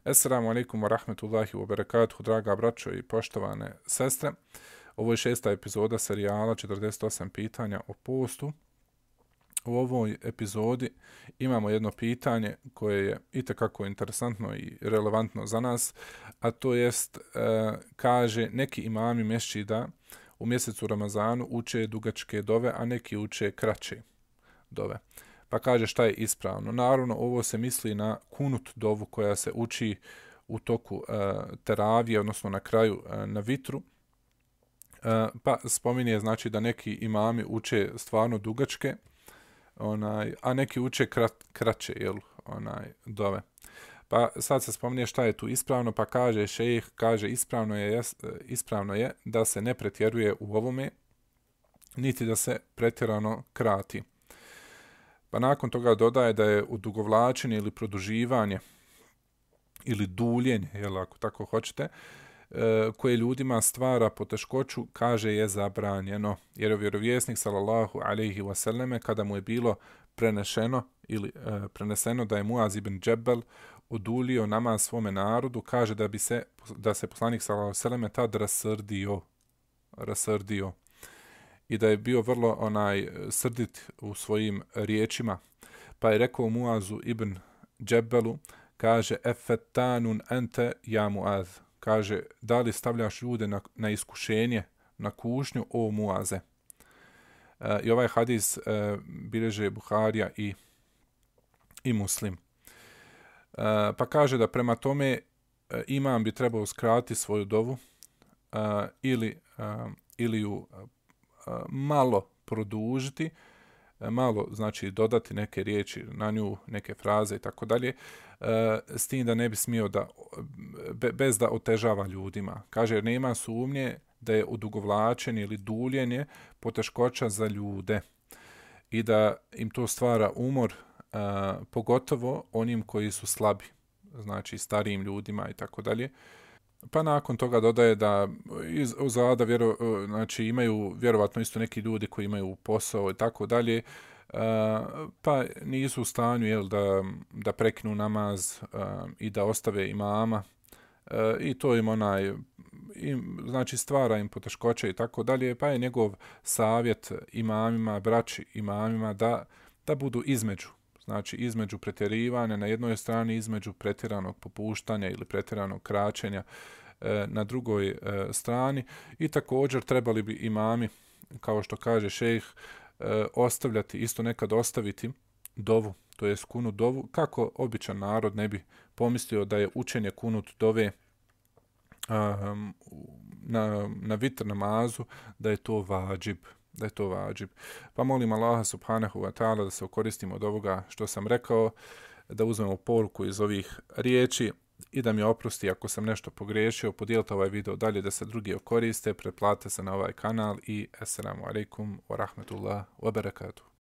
Assalamu alaikum wa rahmetullahi wa barakatuhu, draga braćo i poštovane sestre. Ovo je 6. epizoda serijala 48 pitanja o postu. U ovoj epizodi imamo jedno pitanje koje je itekako interesantno i relevantno za nas, a to jest, kaže, neki imami mesdžida u mjesecu Ramazanu uče dugačke dove, a neki uče kraće dove. Pa kaže šta je ispravno. Naravno, ovo se misli na kunut dovu koja se uči u toku teravije, odnosno na kraju na vitru. Pa spominje znači da neki imami uče stvarno dugačke, a neki uče kraće dove. Pa sad se spominje šta je tu ispravno, pa kaže šejh, kaže ispravno je da se ne pretjeruje u ovome, niti da se pretjerano krati. Pa nakon toga dodaje da je odugovlačenje ili produživanje ili duljenje, ako tako hoćete, koje ljudima stvara poteškoću, kaže je zabranjeno. Jer je vjerovjesnik sallallahu alejhi ve selleme kada mu je bilo preneseno da je Muaz ibn Džebel odulio namaz svome narodu, kaže da se poslanik sallallahu alejhi ve selleme tad rasrdio i da je bio vrlo srdit u svojim riječima. Pa je rekao Muazu ibn Džebelu, kaže, efetanun ente ja Muaz, kaže, da li stavljaš ljude na iskušenje, na kušnju, o Muaze. I ovaj hadis bilježe Buharija i Muslim. Pa kaže da prema tome imam bi trebao skratiti svoju dovu ili ju malo produžiti, malo znači dodati neke riječi na nju, neke fraze i tako dalje, s tim da ne bi smio bez da otežava ljudima. Kaže, jer nema sumnje da je odugovlačenje ili duljenje poteškoća za ljude i da im to stvara umor, pogotovo onim koji su slabi, znači starijim ljudima i tako dalje. Pa nakon toga dodaje da uzada znači imaju vjerovatno isto neki ljudi koji imaju posao i tako dalje, pa nisu u stanju da prekinu namaz i da ostave imama, i to im znači stvara im poteškoće i tako dalje, pa je njegov savjet imamima, braći imamima da budu između pretjerivanja na jednoj strani, između pretjeranog popuštanja ili pretjeranog kraćenja na drugoj strani, i također trebali bi imami, kao što kaže šejh, isto nekad ostaviti dovu, to jest kunut dovu, kako običan narod ne bi pomislio da je učenje kunut dove na vitr namazu, da je to vađib. Pa molim Allaha subhanahu wa ta'ala da se okoristimo od ovoga što sam rekao, da uzmemo poruku iz ovih riječi i da mi oprosti ako sam nešto pogriješio. Podijelite ovaj video dalje da se drugi okoriste, pretplate se na ovaj kanal i assalamu alaikum wa rahmetullah wa barakatuh.